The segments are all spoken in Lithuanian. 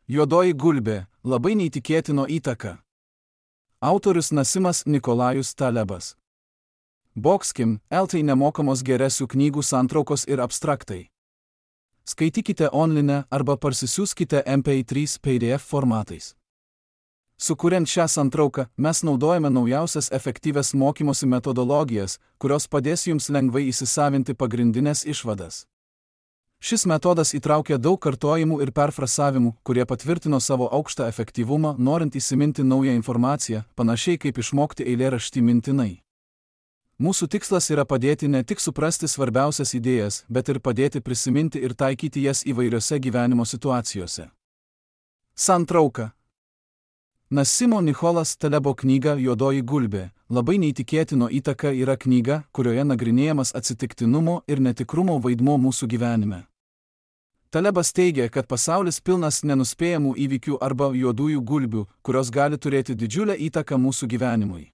Juodoji gulbė – labai neįtikėtino įtaka. Autorius Nasimas Nikolajus Talebas. Boxkim, LT nemokamos geresių knygų santraukos ir abstraktai. Skaitykite online arba parsisiųskite MP3 PDF formatais. Sukuriant šią santrauką, mes naudojame naujausias efektyvias mokymosi metodologijas, kurios padės jums lengvai įsisavinti pagrindinės išvadas. Šis metodas įtraukia daug kartojimų ir perfrasavimų, kurie patvirtino savo aukštą efektyvumą, norint įsiminti naują informaciją, panašiai kaip išmokti eilėraštį mintinai. Mūsų tikslas yra padėti ne tik suprasti svarbiausias idėjas, bet ir padėti prisiminti ir taikyti jas įvairiose gyvenimo situacijose. Santrauka. Nasimo Nicholas Talebo knyga Juodoji gulbė – labai neįtikėtino įtaka yra knyga, kurioje nagrinėjamas atsitiktinumo ir netikrumo vaidmuo mūsų gyvenime. Talebas teigia, kad pasaulis pilnas nenuspėjamų įvykių arba juodųjų gulbių, kurios gali turėti didžiulę įtaką mūsų gyvenimui.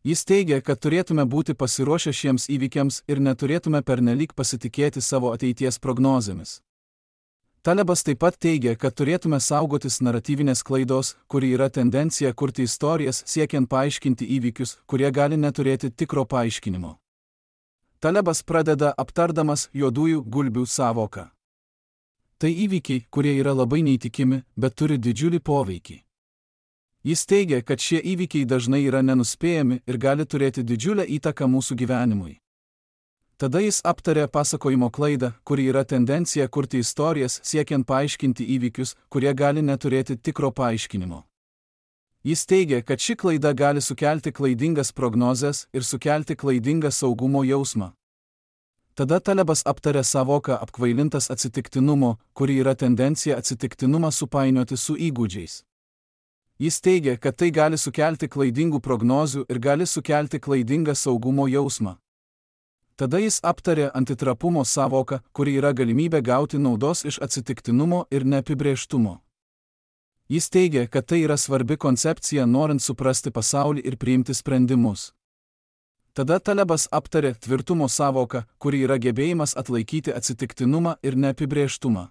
Jis teigia, kad turėtume būti pasiruošę šiems įvykiams ir neturėtume pernelyg pasitikėti savo ateities prognozėmis. Talebas taip pat teigia, kad turėtume saugotis naratyvinės klaidos, kuri yra tendencija kurti istorijas siekiant paaiškinti įvykius, kurie gali neturėti tikro paaiškinimo. Talebas pradeda aptardamas juodųjų gulbių sąvoką. Tai įvykiai, kurie yra labai neįtikimi, bet turi didžiulį poveikį. Jis teigia, kad šie įvykiai dažnai yra nenuspėjami ir gali turėti didžiulę įtaką mūsų gyvenimui. Tada jis aptarė pasakojimo klaidą, kuri yra tendencija kurti istorijas siekiant paaiškinti įvykius, kurie gali neturėti tikro paaiškinimo. Jis teigia, kad ši klaida gali sukelti klaidingas prognozes ir sukelti klaidingą saugumo jausmą. Tada Talebas aptarė sąvoką apkvailintas atsitiktinumo, kuri yra tendencija atsitiktinumą supainioti su įgūdžiais. Jis teigia, kad tai gali sukelti klaidingų prognozių ir gali sukelti klaidingą saugumo jausmą. Tada jis aptarė antitrapumo sąvoką, kuri yra galimybė gauti naudos iš atsitiktinumo ir neapibrėžtumo. Jis teigia, kad tai yra svarbi koncepcija norint suprasti pasaulį ir priimti sprendimus. Tada Talebas aptarė tvirtumo sąvoką, kuri yra gebėjimas atlaikyti atsitiktinumą ir neapibrėžtumą.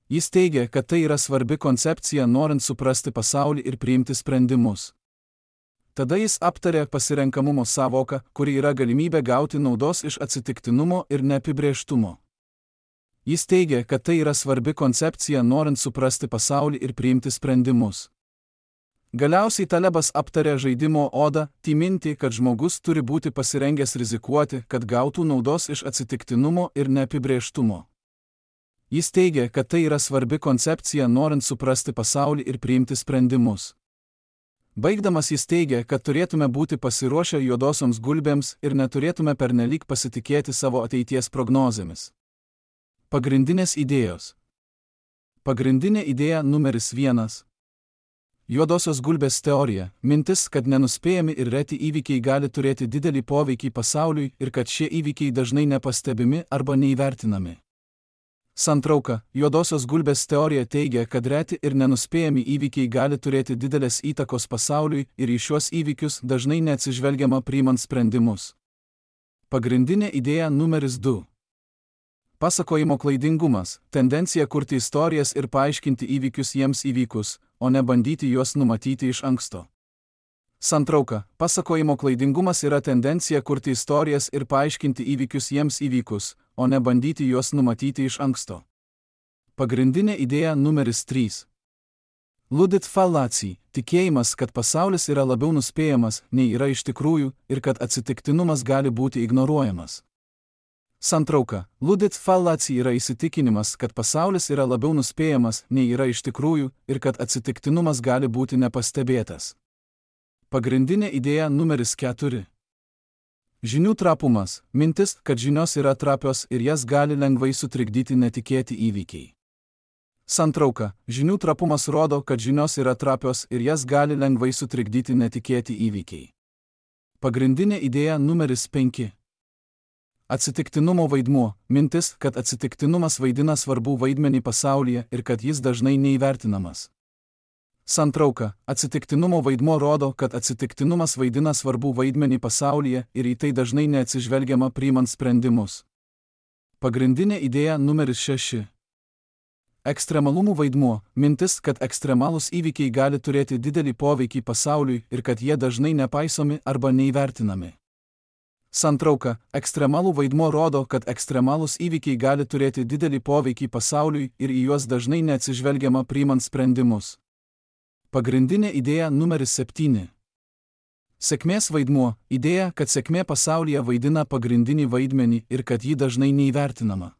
Jis teigia, kad tai yra svarbi koncepcija norint suprasti pasaulį ir priimti sprendimus. Tada jis aptarė pasirenkamumo sąvoką, kuri yra galimybė gauti naudos iš atsitiktinumo ir neapibrėžtumo. Jis teigia, kad tai yra svarbi koncepcija norint suprasti pasaulį ir priimti sprendimus. Galiausiai Talebas aptarė žaidimo odą, minti, kad žmogus turi būti pasirengęs rizikuoti, kad gautų naudos iš atsitiktinumo ir neapibrėžtumo. Jis teigia, kad tai yra svarbi koncepcija norint suprasti pasaulį ir priimti sprendimus. Baigdamas jis teigia, kad turėtume būti pasiruošę juodosioms gulbėms ir neturėtume pernelyg pasitikėti savo ateities prognozėmis. Pagrindinės idėjos. Pagrindinė idėja numeris 1. Juodosios gulbės teorija – mintis, kad nenuspėjami ir reti įvykiai gali turėti didelį poveikį pasauliui ir kad šie įvykiai dažnai nepastebimi arba neįvertinami. Santrauka. Juodosios gulbės teorija teigia, kad reti ir nenuspėjami įvykiai gali turėti didelės įtakos pasauliui ir į šiuos įvykius dažnai neatsižvelgiama priimant sprendimus. Pagrindinė idėja numeris 2. Pasakojimo klaidingumas – tendencija kurti istorijas ir paaiškinti įvykius jiems įvykus, o ne bandyti juos numatyti iš anksto. Santrauka. Pasakojimo klaidingumas yra tendencija kurti istorijas ir paaiškinti įvykius jiems įvykus, o ne bandyti juos numatyti iš anksto. Pagrindinė idėja numeris 3. Ludit fallacy – tikėjimas, kad pasaulis yra labiau nuspėjamas, nei yra iš tikrųjų, ir kad atsitiktinumas gali būti ignoruojamas. Santrauka. Ludit fallacy yra įsitikinimas, kad pasaulis yra labiau nuspėjamas, nei yra iš tikrųjų, ir kad atsitiktinumas gali būti nepastebėtas. Pagrindinė idėja numeris 4. Žinių trapumas – mintis, kad žinios yra trapios ir jas gali lengvai sutrikdyti netikėti įvykiai. Santrauka. Žinių trapumas rodo, kad žinios yra trapios ir jas gali lengvai sutrikdyti netikėti įvykiai. Pagrindinė idėja numeris 5. Atsitiktinumo vaidmuo – mintis, kad atsitiktinumas vaidina svarbų vaidmenį pasaulyje ir kad jis dažnai neįvertinamas. Santrauka. Atsitiktinumo vaidmuo rodo, kad atsitiktinumas vaidina svarbų vaidmenį pasaulyje ir į tai dažnai neatsižvelgiama priimant sprendimus. Pagrindinė idėja numeris 6. Ekstremalumų vaidmuo – mintis, kad ekstremalūs įvykiai gali turėti didelį poveikį pasauliui ir kad jie dažnai nepaisomi arba neįvertinami. Santrauka – ekstremalų vaidmuo rodo, kad ekstremalūs įvykiai gali turėti didelį poveikį pasauliui ir į juos dažnai neatsižvelgiama priimant sprendimus. Pagrindinė idėja numeris 7. Sėkmės vaidmuo – idėja, kad sėkmė pasaulyje vaidina pagrindinį vaidmenį ir kad ji dažnai neįvertinama.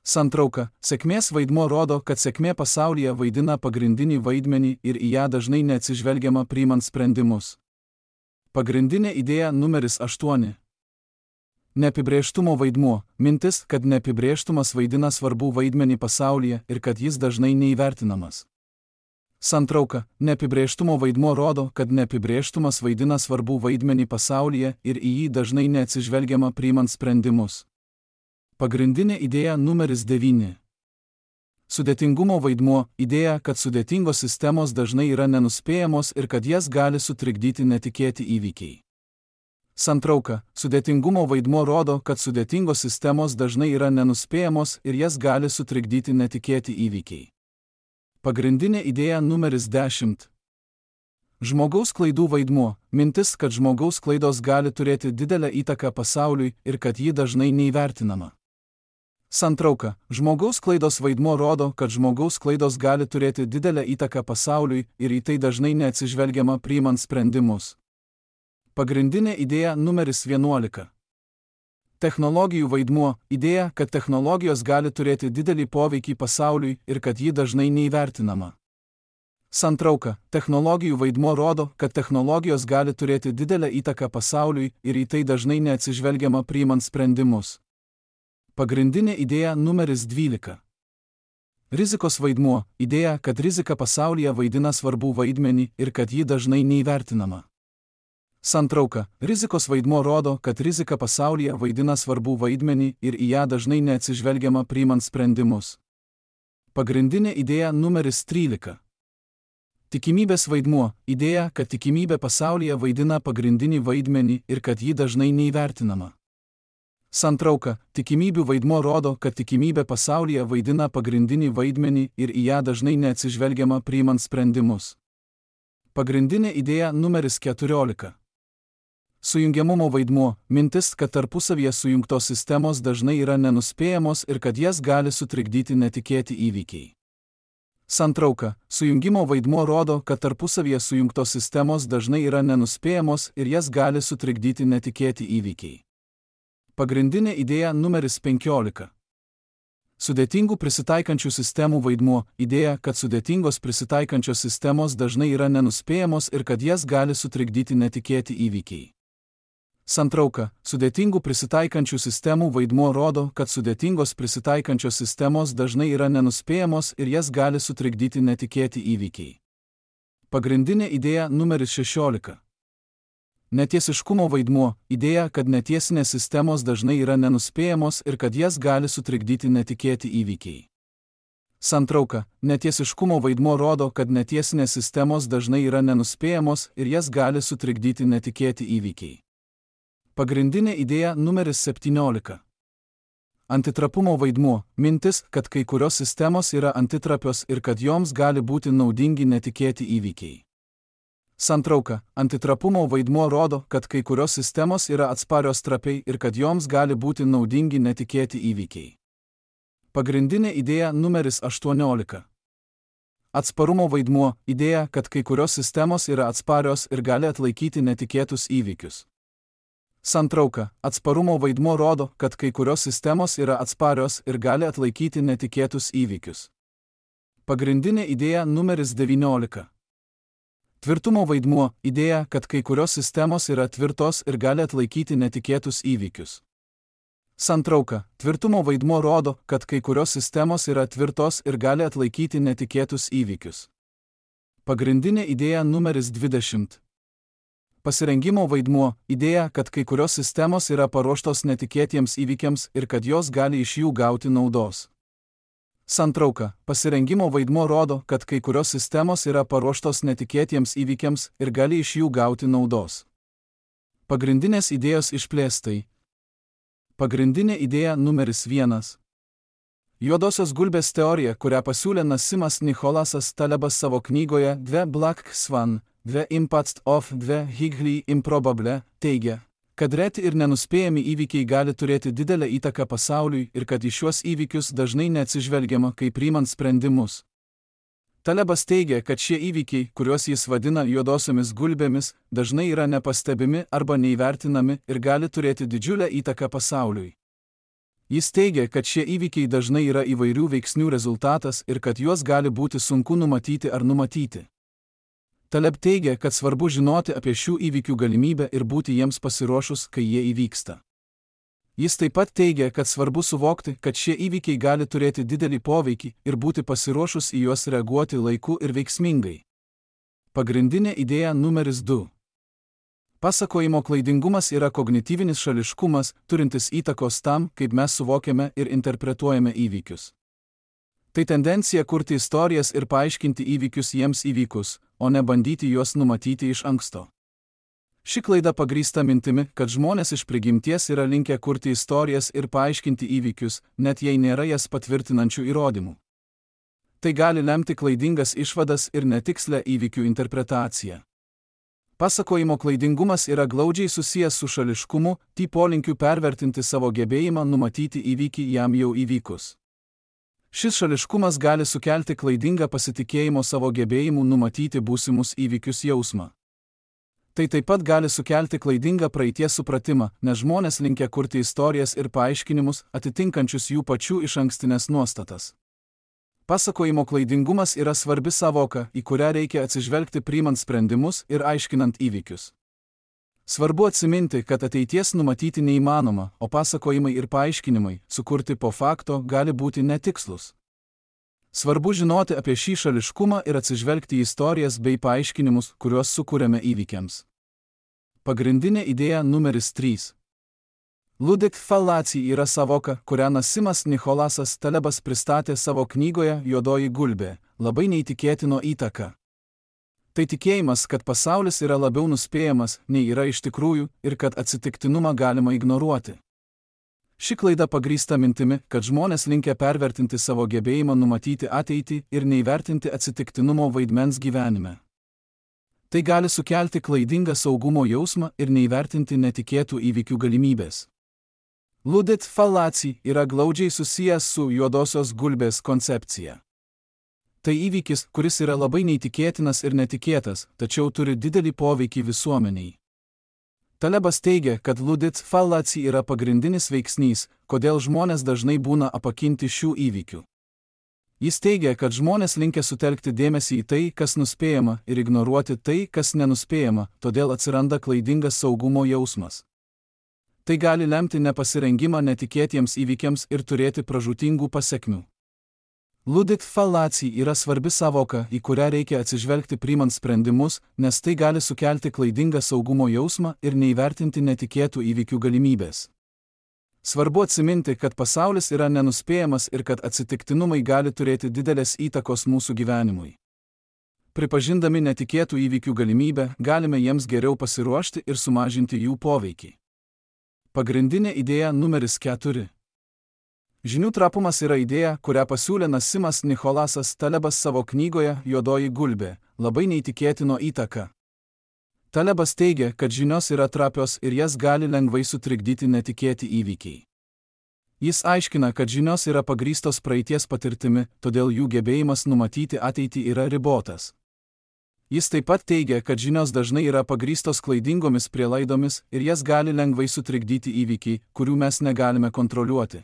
Santrauka – sėkmės vaidmuo rodo, kad sėkmė pasaulyje vaidina pagrindinį vaidmenį ir į ją dažnai neatsižvelgiama priimant sprendimus. Pagrindinė idėja numeris 8. Neapibrėžtumo vaidmuo – mintis, kad neapibrėžtumas vaidina svarbų vaidmenį pasaulyje ir kad jis dažnai neįvertinamas. Santrauka – neapibrėžtumo vaidmuo rodo, kad neapibrėžtumas vaidina svarbų vaidmenį pasaulyje ir į jį dažnai neatsižvelgiama priimant sprendimus. Pagrindinė idėja numeris 9. Sudėtingumo vaidmuo – idėja, kad sudėtingos sistemos dažnai yra nenuspėjamos ir kad jas gali sutrikdyti netikėti įvykiai. Santrauka – sudėtingumo vaidmuo rodo, kad sudėtingos sistemos dažnai yra nenuspėjamos ir jas gali sutrikdyti netikėti įvykiai. Pagrindinė idėja numeris 10. Žmogaus klaidų vaidmuo – mintis, kad žmogaus klaidos gali turėti didelę įtaką pasauliui ir kad ji dažnai neįvertinama. Santrauka – žmogaus klaidos vaidmuo rodo, kad žmogaus klaidos gali turėti didelę įtaką pasauliui ir į tai dažnai neatsižvelgiama priimant sprendimus. Pagrindinė idėja numeris 11. Technologijų vaidmuo – idėja, kad technologijos gali turėti didelį poveikį pasauliui ir kad ji dažnai neįvertinama. Santrauka – technologijų vaidmuo rodo, kad technologijos gali turėti didelę įtaką pasauliui ir į tai dažnai neatsižvelgiama priimant sprendimus. Pagrindinė idėja numeris 12. Rizikos vaidmuo – idėja, kad rizika pasaulyje vaidina svarbų vaidmenį ir kad ji dažnai neįvertinama. Santrauka – rizikos vaidmuo rodo, kad rizika pasaulyje vaidina svarbų vaidmenį ir į ją dažnai neatsižvelgiama priimant sprendimus. Pagrindinė idėja numeris 13. Tikimybės vaidmuo – idėja, kad tikimybė pasaulyje vaidina pagrindinį vaidmenį ir kad ji dažnai neįvertinama. Santrauka – tikimybių vaidmuo rodo, kad tikimybė pasaulyje vaidina pagrindinį vaidmenį ir į ją dažnai neatsižvelgiama priimant sprendimus. Pagrindinė idėja numeris 14. Sujungiamumo vaidmuo – mintis, kad tarpusavyje sujungtos sistemos dažnai yra nenuspėjamos ir kad jas gali sutrikdyti netikėti įvykiai. Santrauka – sujungimo vaidmuo rodo, kad tarpusavyje sujungtos sistemos dažnai yra nenuspėjamos ir jas gali sutrikdyti netikėti įvykiai. Pagrindinė idėja numeris 15. Sudėtingų prisitaikančių sistemų vaidmuo – idėja, kad sudėtingos prisitaikančios sistemos dažnai yra nenuspėjamos ir kad jas gali sutrikdyti netikėti įvykiai. Santrauka – sudėtingų prisitaikančių sistemų vaidmuo rodo, kad sudėtingos prisitaikančios sistemos dažnai yra nenuspėjamos ir jas gali sutrikdyti netikėti įvykiai. Pagrindinė idėja numeris 16. Netiesiškumo vaidmuo – idėja, kad netiesinės sistemos dažnai yra nenuspėjamos ir kad jas gali sutrikdyti netikėti įvykiai. Santrauka – netiesiškumo vaidmuo rodo, kad netiesinės sistemos dažnai yra nenuspėjamos ir jas gali sutrikdyti netikėti įvykiai. Pagrindinė idėja numeris 17. Antitrapumo vaidmuo – mintis, kad kai kurios sistemos yra antitrapios ir kad joms gali būti naudingi netikėti įvykiai. Santrauka – antitrapumo vaidmuo rodo, kad kai kurios sistemos yra atsparios trapiai ir kad joms gali būti naudingi netikėti įvykiai. Pagrindinė idėja numeris 18. Atsparumo vaidmuo – idėja, kad kai kurios sistemos yra atsparios ir gali atlaikyti netikėtus įvykius. Santrauka – atsparumo vaidmuo rodo, kad kai kurios sistemos yra atsparios ir gali atlaikyti netikėtus įvykius. Pagrindinė idėja numeris 19. Tvirtumo vaidmuo – idėja, kad kai kurios sistemos yra tvirtos ir gali atlaikyti netikėtus įvykius. Santrauka – tvirtumo vaidmuo rodo, kad kai kurios sistemos yra tvirtos ir gali atlaikyti netikėtus įvykius. Pagrindinė idėja numeris 20. Pasirengimo vaidmuo – idėja, kad kai kurios sistemos yra paruoštos netikėtiems įvykiams ir kad jos gali iš jų gauti naudos. Santrauka – pasirengimo vaidmuo rodo, kad kai kurios sistemos yra paruoštos netikėtiems įvykiams ir gali iš jų gauti naudos. Pagrindinės idėjos išplėstai. Pagrindinė idėja numeris 1. Juodosios gulbės teorija, kurią pasiūlė Nasimas Nicholasas Talebas savo knygoje The Black Swan, The Impact of the Highly Improbable, teigia, kad reti ir nenuspėjami įvykiai gali turėti didelę įtaką pasauliui ir kad į šiuos įvykius dažnai neatsižvelgiama, kai priimant sprendimus. Talebas teigia, kad šie įvykiai, kuriuos jis vadina juodosiomis gulbėmis, dažnai yra nepastebimi arba neįvertinami ir gali turėti didžiulę įtaką pasauliui. Jis teigia, kad šie įvykiai dažnai yra įvairių veiksnių rezultatas ir kad juos gali būti sunku numatyti ar numatyti. Taleb teigia, kad svarbu žinoti apie šių įvykių galimybę ir būti jiems pasiruošus, kai jie įvyksta. Jis taip pat teigia, kad svarbu suvokti, kad šie įvykiai gali turėti didelį poveikį ir būti pasiruošus į juos reaguoti laiku ir veiksmingai. Pagrindinė idėja numeris 2. Pasakojimo klaidingumas yra kognityvinis šališkumas, turintis įtakos tam, kaip mes suvokiame ir interpretuojame įvykius. Tai tendencija kurti istorijas ir paaiškinti įvykius jiems įvykus, o ne bandyti juos numatyti iš anksto. Ši klaida pagrįsta mintimi, kad žmonės iš prigimties yra linkę kurti istorijas ir paaiškinti įvykius, net jei nėra jas patvirtinančių įrodymų. Tai gali lemti klaidingas išvadas ir netikslę įvykių interpretaciją. Pasakojimo klaidingumas yra glaudžiai susijęs su šališkumu, polinkiu pervertinti savo gebėjimą numatyti įvykį jam jau įvykus. Šis šališkumas gali sukelti klaidingą pasitikėjimo savo gebėjimu numatyti būsimus įvykius jausmą. Tai taip pat gali sukelti klaidingą praeities supratimą, nes žmonės linkę kurti istorijas ir paaiškinimus, atitinkančius jų pačių išankstinės nuostatas. Pasakojimo klaidingumas yra svarbi sąvoka, į kurią reikia atsižvelgti priimant sprendimus ir aiškinant įvykius. Svarbu atsiminti, kad ateities numatyti neįmanoma, o pasakojimai ir paaiškinimai, sukurti po fakto, gali būti netikslus. Svarbu žinoti apie šį šališkumą ir atsižvelgti į istorijas bei paaiškinimus, kuriuos sukūrėme įvykiams. Pagrindinė idėja numeris 3. Ludik fallacija yra sąvoka, kurią Nasimas Nicholasas Talebas pristatė savo knygoje Juodoji gulbė, labai neįtikėtino įtaka. Tai tikėjimas, kad pasaulis yra labiau nuspėjamas, nei yra iš tikrųjų, ir kad atsitiktinumą galima ignoruoti. Ši klaida pagrįsta mintimi, kad žmonės linkę pervertinti savo gebėjimą numatyti ateitį ir neįvertinti atsitiktinumo vaidmens gyvenime. Tai gali sukelti klaidingą saugumo jausmą ir neįvertinti netikėtų įvykių galimybės. Ludik fallacija yra glaudžiai susijęs su juodosios gulbės koncepcija. Tai įvykis, kuris yra labai neįtikėtinas ir netikėtas, tačiau turi didelį poveikį visuomeniai. Talebas teigia, kad ludik fallacija yra pagrindinis veiksnys, kodėl žmonės dažnai būna apakinti šių įvykių. Jis teigia, kad žmonės linkę sutelkti dėmesį į tai, kas nuspėjama, ir ignoruoti tai, kas nenuspėjama, todėl atsiranda klaidingas saugumo jausmas. Tai gali lemti nepasirengimą netikėtiems įvykiams ir turėti pražūtingų pasekmių. Ludik fallacija yra svarbi sąvoka, į kurią reikia atsižvelgti priimant sprendimus, nes tai gali sukelti klaidingą saugumo jausmą ir neįvertinti netikėtų įvykių galimybės. Svarbu atsiminti, kad pasaulis yra nenuspėjamas ir kad atsitiktinumai gali turėti didelės įtakos mūsų gyvenimui. Pripažindami netikėtų įvykių galimybę, galime jiems geriau pasiruošti ir sumažinti jų poveikį. Pagrindinė idėja numeris 4. Žinių trapumas yra idėja, kurią pasiūlė Nasimas Nicholasas Talebas savo knygoje Juodoji gulbė, labai neįtikėtino įtaka. Talebas teigia, kad žinios yra trapios ir jas gali lengvai sutrikdyti netikėti įvykiai. Jis aiškina, kad žinios yra pagrįstos praeities patirtimi, todėl jų gebėjimas numatyti ateitį yra ribotas. Jis taip pat teigia, kad žinios dažnai yra pagrįstos klaidingomis prielaidomis ir jas gali lengvai sutrikdyti įvykiai, kurių mes negalime kontroliuoti.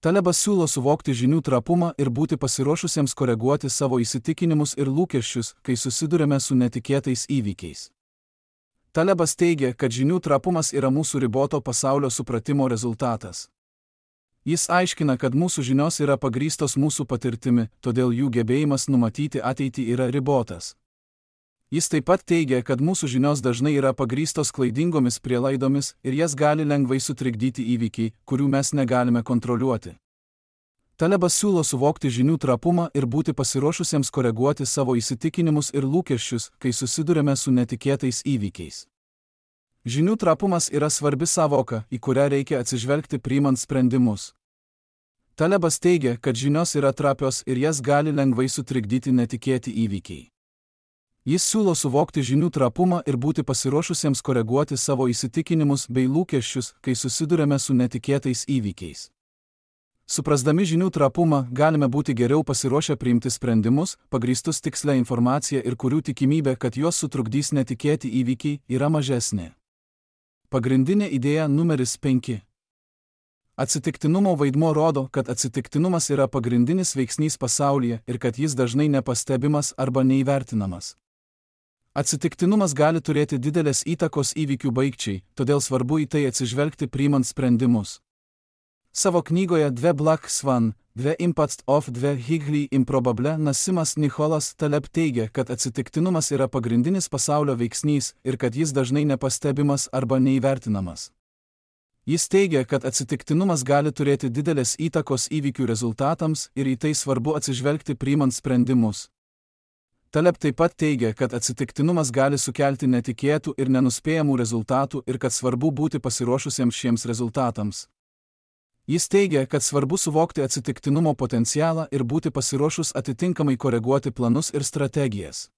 Talebas siūlo suvokti žinių trapumą ir būti pasiruošusiems koreguoti savo įsitikinimus ir lūkesčius, kai susidurime su netikėtais įvykiais. Talebas teigia, kad žinių trapumas yra mūsų riboto pasaulio supratimo rezultatas. Jis aiškina, kad mūsų žinios yra pagrįstos mūsų patirtimi, todėl jų gebėjimas numatyti ateitį yra ribotas. Jis taip pat teigia, kad mūsų žinios dažnai yra pagrįstos klaidingomis prielaidomis ir jas gali lengvai sutrikdyti įvykiai, kurių mes negalime kontroliuoti. Talebas siūlo suvokti žinių trapumą ir būti pasiruošusiems koreguoti savo įsitikinimus ir lūkesčius, kai susidurime su netikėtais įvykiais. Žinių trapumas yra svarbi sąvoka, į kurią reikia atsižvelgti priimant sprendimus. Talebas teigia, kad žinios yra trapios ir jas gali lengvai sutrikdyti netikėti įvykiai. Jis siūlo suvokti žinių trapumą ir būti pasiruošusiems koreguoti savo įsitikinimus bei lūkesčius, kai susidurėme su netikėtais įvykiais. Suprasdami žinių trapumą, galime būti geriau pasiruošę priimti sprendimus, pagrįstus tikslią informaciją ir kurių tikimybė, kad juos sutrukdys netikėti įvykiai, yra mažesnė. Pagrindinė idėja numeris 5. Atsitiktinumo vaidmuo rodo, kad atsitiktinumas yra pagrindinis veiksnys pasaulyje ir kad jis dažnai nepastebimas arba neįvertinamas. Atsitiktinumas gali turėti didelės įtakos įvykių baigčiai, todėl svarbu į tai atsižvelgti priimant sprendimus. Savo knygoje The Black Swan, The Impact of the Highly Improbable Nassimas Nicholas Taleb teigia, kad atsitiktinumas yra pagrindinis pasaulio veiksnys ir kad jis dažnai nepastebimas arba neįvertinamas. Jis teigia, kad atsitiktinumas gali turėti didelės įtakos įvykių rezultatams ir į tai svarbu atsižvelgti priimant sprendimus. Taleb taip pat teigia, kad atsitiktinumas gali sukelti netikėtų ir nenuspėjamų rezultatų ir kad svarbu būti pasiruošusiems šiems rezultatams. Jis teigia, kad svarbu suvokti atsitiktinumo potencialą ir būti pasiruošus atitinkamai koreguoti planus ir strategijas.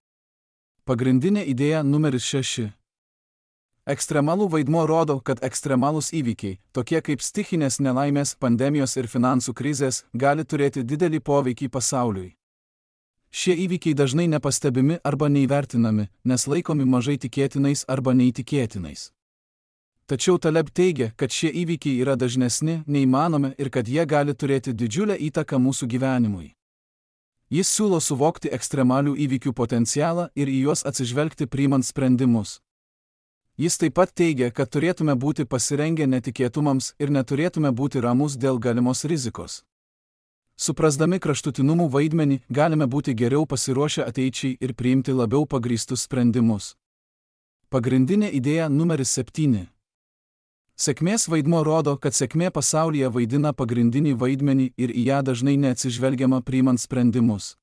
Pagrindinė idėja numeris 6. Ekstremalų vaidmuo rodo, kad ekstremalūs įvykiai, tokie kaip stichinės nelaimės, pandemijos ir finansų krizės, gali turėti didelį poveikį pasauliui. Šie įvykiai dažnai nepastebimi arba neįvertinami, nes laikomi mažai tikėtinais arba neįtikėtinais. Tačiau Taleb teigia, kad šie įvykiai yra dažnesni, neįmanomi ir kad jie gali turėti didžiulę įtaką mūsų gyvenimui. Jis siūlo suvokti ekstremalių įvykių potencialą ir į juos atsižvelgti priimant sprendimus. Jis taip pat teigia, kad turėtume būti pasirengę netikėtumams ir neturėtume būti ramus dėl galimos rizikos. Suprasdami kraštutinumų vaidmenį, galime būti geriau pasiruošę ateičiai ir priimti labiau pagrįstus sprendimus. Pagrindinė idėja numeris 7. Sėkmės vaidmuo rodo, kad sėkmė pasaulyje vaidina pagrindinį vaidmenį ir į ją dažnai neatsižvelgiama priimant sprendimus.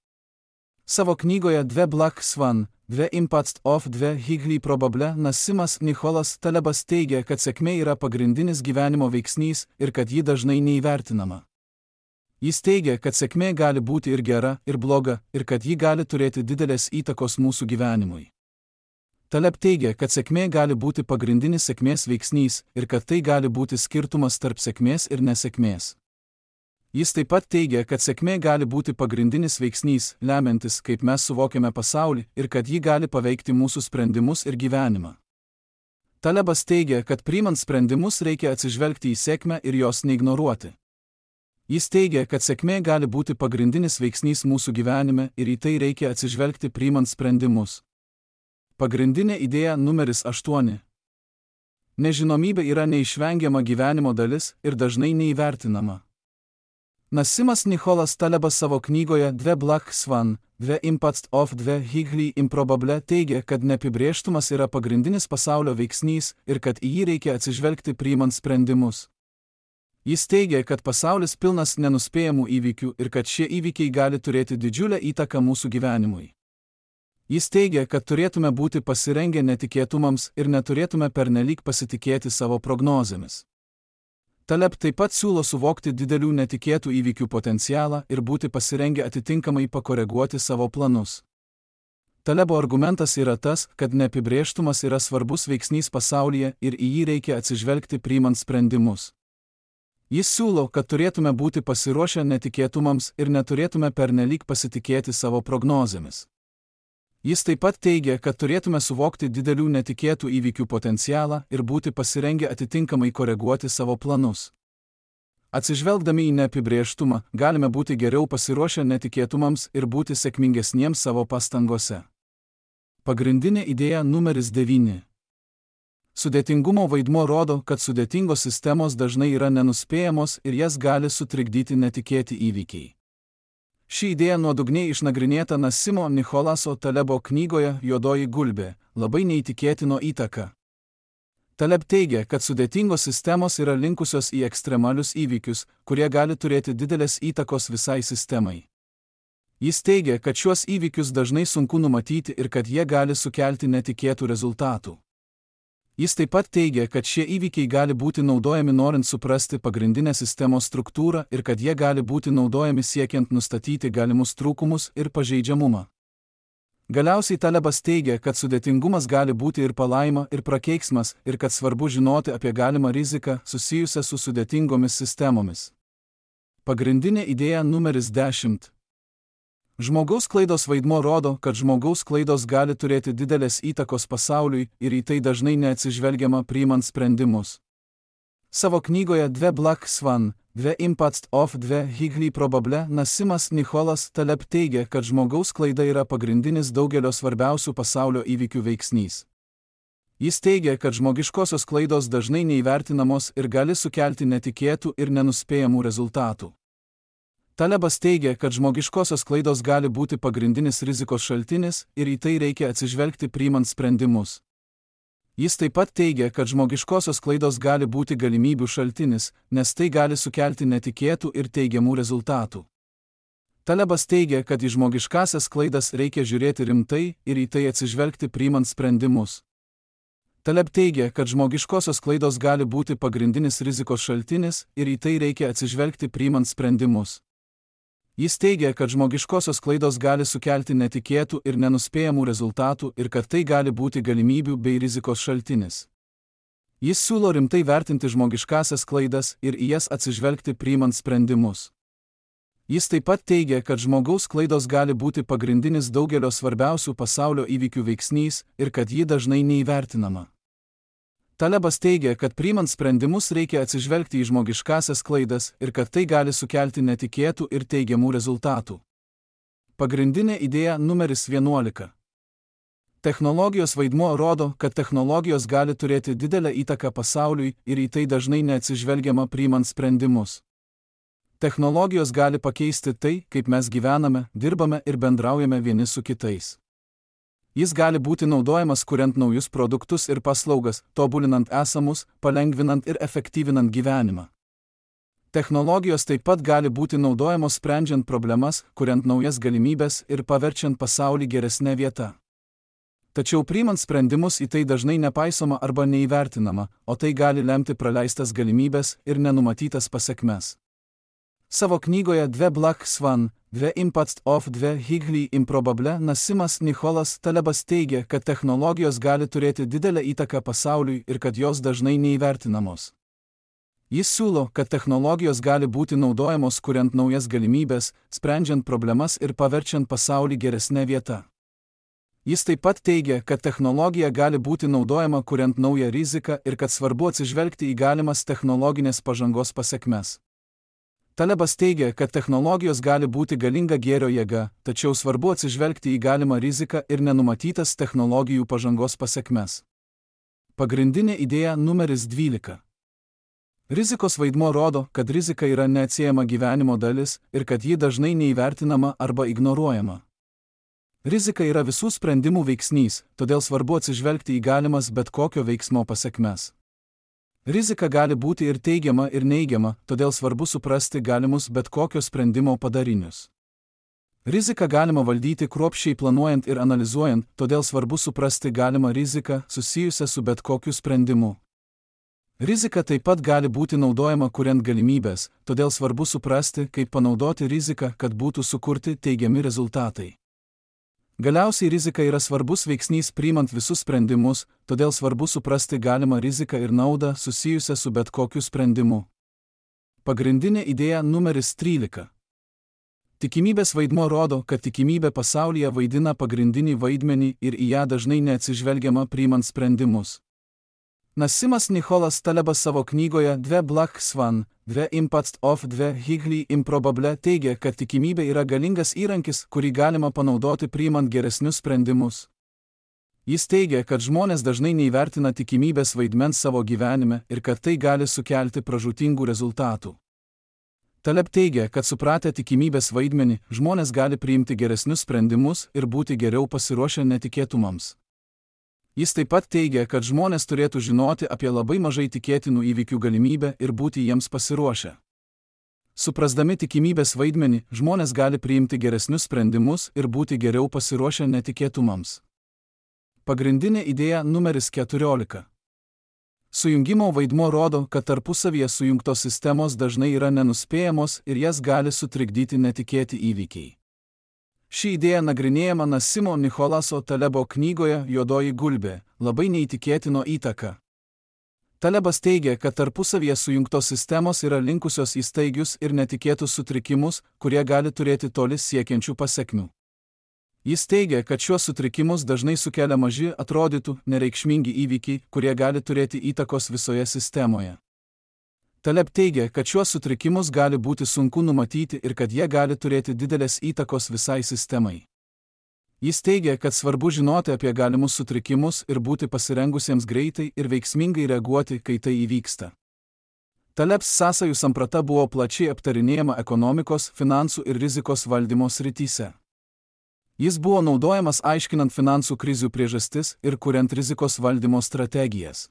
Savo knygoje The Black Swan, The Impact of the Highly Improbable Nassimas Nicholas Talebas teigia, kad sėkmė yra pagrindinis gyvenimo veiksnys ir kad ji dažnai neįvertinama. Jis teigia, kad sėkmė gali būti ir gera, ir bloga, ir kad ji gali turėti didelės įtakos mūsų gyvenimui. Taleb teigia, kad sėkmė gali būti pagrindinis sėkmės veiksnys ir kad tai gali būti skirtumas tarp sėkmės ir nesėkmės. Jis taip pat teigia, kad sėkmė gali būti pagrindinis veiksnys, lemiantis, kaip mes suvokiame pasaulį ir kad ji gali paveikti mūsų sprendimus ir gyvenimą. Talebas teigia, kad priimant sprendimus reikia atsižvelgti į sėkmę ir jos neignoruoti. Jis teigia, kad sėkmė gali būti pagrindinis veiksnys mūsų gyvenime ir į tai reikia atsižvelgti priimant sprendimus. Pagrindinė idėja numeris 8. Nežinomybė yra neišvengiama gyvenimo dalis ir dažnai neįvertinama. Nassimas Nicholas Talebas savo knygoje The Black Swan, The Impact of the Highly Improbable teigia, kad neapibrėžtumas yra pagrindinis pasaulio veiksnys ir kad į jį reikia atsižvelgti priimant sprendimus. Jis teigia, kad pasaulis pilnas nenuspėjamų įvykių ir kad šie įvykiai gali turėti didžiulę įtaką mūsų gyvenimui. Jis teigia, kad turėtume būti pasirengę netikėtumams ir neturėtume pernelyg pasitikėti savo prognozėmis. Taleb taip pat siūlo suvokti didelių netikėtų įvykių potencialą ir būti pasirengę atitinkamai pakoreguoti savo planus. Talebo argumentas yra tas, kad neapibrėžtumas yra svarbus veiksnys pasaulyje ir į jį reikia atsižvelgti priimant sprendimus. Jis siūlo, kad turėtume būti pasiruošę netikėtumams ir neturėtume pernelyg pasitikėti savo prognozėmis. Jis taip pat teigia, kad turėtume suvokti didelių netikėtų įvykių potencialą ir būti pasirengę atitinkamai koreguoti savo planus. Atsižvelgdami į neapibrėžtumą, galime būti geriau pasiruošę netikėtumams ir būti sėkmingesniems savo pastangose. Pagrindinė idėja numeris 9. Sudėtingumo vaidmuo rodo, kad sudėtingos sistemos dažnai yra nenuspėjamos ir jas gali sutrikdyti netikėti įvykiai. Ši idėja nuodugniai išnagrinėta Nassimo Nicholaso Talebo knygoje Juodoji gulbė – labai neįtikėtino įtaka. Taleb teigia, kad sudėtingos sistemos yra linkusios į ekstremalius įvykius, kurie gali turėti didelės įtakos visai sistemai. Jis teigia, kad šiuos įvykius dažnai sunku numatyti ir kad jie gali sukelti netikėtų rezultatų. Jis taip pat teigia, kad šie įvykiai gali būti naudojami norint suprasti pagrindinę sistemos struktūrą ir kad jie gali būti naudojami siekiant nustatyti galimus trūkumus ir pažeidžiamumą. Galiausiai Talebas teigia, kad sudėtingumas gali būti ir palaima, ir prakeiksmas, ir kad svarbu žinoti apie galimą riziką susijusią su sudėtingomis sistemomis. Pagrindinė idėja numeris 10. Žmogaus klaidos vaidmuo rodo, kad žmogaus klaidos gali turėti didelės įtakos pasauliui ir į tai dažnai neatsižvelgiama priimant sprendimus. Savo knygoje The Black Swan, The Impact of the Highly Probable Nasimas Nicholas Taleb teigia, kad žmogaus klaida yra pagrindinis daugelio svarbiausių pasaulio įvykių veiksnys. Jis teigia, kad žmogiškosios klaidos dažnai neįvertinamos ir gali sukelti netikėtų ir nenuspėjamų rezultatų. Talebas teigia, kad žmogiškosios klaidos gali būti pagrindinis rizikos šaltinis ir į tai reikia atsižvelgti priimant sprendimus. Jis taip pat teigia, kad žmogiškosios klaidos gali būti galimybių šaltinis, nes tai gali sukelti netikėtų ir teigiamų rezultatų. Talebas teigia, kad į žmogiškasias klaidas reikia žiūrėti rimtai ir į tai atsižvelgti priimant sprendimus. Taleb teigia, kad žmogiškosios klaidos gali būti pagrindinis rizikos šaltinis ir į tai reikia atsižvelgti priimant sprendimus. Jis teigia, kad žmogiškosios klaidos gali sukelti netikėtų ir nenuspėjamų rezultatų ir kad tai gali būti galimybių bei rizikos šaltinis. Jis siūlo rimtai vertinti žmogiškasias klaidas ir į jas atsižvelgti priimant sprendimus. Jis taip pat teigia, kad žmogaus klaidos gali būti pagrindinis daugelio svarbiausių pasaulio įvykių veiksnys ir kad ji dažnai neįvertinama. Talebas teigia, kad priimant sprendimus reikia atsižvelgti į žmogiškasias klaidas ir kad tai gali sukelti netikėtų ir teigiamų rezultatų. Pagrindinė idėja numeris 11. Technologijos vaidmuo rodo, kad technologijos gali turėti didelę įtaką pasauliui ir į tai dažnai neatsižvelgiama priimant sprendimus. Technologijos gali pakeisti tai, kaip mes gyvename, dirbame ir bendraujame vieni su kitais. Jis gali būti naudojamas kuriant naujus produktus ir paslaugas, tobulinant esamus, palengvinant ir efektyvinant gyvenimą. Technologijos taip pat gali būti naudojamos sprendžiant problemas, kuriant naujas galimybes ir paverčiant pasaulį geresnę vietą. Tačiau priimant sprendimus į tai dažnai nepaisoma arba neįvertinama, o tai gali lemti praleistas galimybes ir nenumatytas pasekmes. Savo knygoje The Black Swan, The Impact of the Highly Improbable Nasimas Nicholas Talebas teigia, kad technologijos gali turėti didelę įtaką pasauliui ir kad jos dažnai neįvertinamos. Jis siūlo, kad technologijos gali būti naudojamos kuriant naujas galimybes, sprendžiant problemas ir paverčiant pasaulį geresnę vietą. Jis taip pat teigia, kad technologija gali būti naudojama kuriant naują riziką ir kad svarbu atsižvelgti į galimas technologinės pažangos pasekmes. Talebas teigia, kad technologijos gali būti galinga gėrio jėga, tačiau svarbu atsižvelgti į galimą riziką ir nenumatytas technologijų pažangos pasekmes. Pagrindinė idėja numeris 12. Rizikos vaidmuo rodo, kad rizika yra neatsiejama gyvenimo dalis ir kad ji dažnai neįvertinama arba ignoruojama. Rizika yra visų sprendimų veiksnys, todėl svarbu atsižvelgti į galimas bet kokio veiksmo pasekmes. Rizika gali būti ir teigiama, ir neigiama, todėl svarbu suprasti galimus bet kokio sprendimo padarinius. Riziką galima valdyti kruopščiai planuojant ir analizuojant, todėl svarbu suprasti galimą riziką susijusią su bet kokiu sprendimu. Rizika taip pat gali būti naudojama kuriant galimybės, todėl svarbu suprasti, kaip panaudoti riziką, kad būtų sukurti teigiami rezultatai. Galiausiai rizika yra svarbus veiksnys priimant visus sprendimus, todėl svarbu suprasti galimą riziką ir naudą susijusią su bet kokiu sprendimu. Pagrindinė idėja numeris 13. Tikimybės vaidmuo rodo, kad tikimybė pasaulyje vaidina pagrindinį vaidmenį ir į ją dažnai neatsižvelgiama priimant sprendimus. Nasimas Nicholas Talebas savo knygoje The Black Swan, The Impact of the Highly Improbable teigia, kad tikimybė yra galingas įrankis, kurį galima panaudoti priimant geresnius sprendimus. Jis teigia, kad žmonės dažnai neįvertina tikimybės vaidmens savo gyvenime ir kad tai gali sukelti pražūtingų rezultatų. Taleb teigia, kad supratę tikimybės vaidmenį, žmonės gali priimti geresnius sprendimus ir būti geriau pasiruošę netikėtumams. Jis taip pat teigia, kad žmonės turėtų žinoti apie labai mažai tikėtinų įvykių galimybę ir būti jiems pasiruošę. Suprasdami tikimybės vaidmenį, žmonės gali priimti geresnius sprendimus ir būti geriau pasiruošę netikėtumams. Pagrindinė idėja numeris 14. Sujungimo vaidmuo rodo, kad tarpusavyje sujungtos sistemos dažnai yra nenuspėjamos ir jas gali sutrikdyti netikėti įvykiai. Ši idėja nagrinėjama Nasimo Nicholaso Talebo knygoje Juodoji gulbė – labai neįtikėtino įtaka. Talebas teigia, kad tarpusavyje sujungtos sistemos yra linkusios į staigius ir netikėtus sutrikimus, kurie gali turėti toli siekiančių pasekmių. Jis teigia, kad šiuos sutrikimus dažnai sukelia maži, atrodytų, nereikšmingi įvykiai, kurie gali turėti įtakos visoje sistemoje. Taleb teigia, kad šiuos sutrikimus gali būti sunku numatyti ir kad jie gali turėti didelės įtakos visai sistemai. Jis teigia, kad svarbu žinoti apie galimus sutrikimus ir būti pasirengusiems greitai ir veiksmingai reaguoti, kai tai įvyksta. Talebs sąsajų samprata buvo plačiai aptarinėjama ekonomikos, finansų ir rizikos valdymo srityse. Jis buvo naudojamas aiškinant finansų krizių priežastis ir kuriant rizikos valdymo strategijas.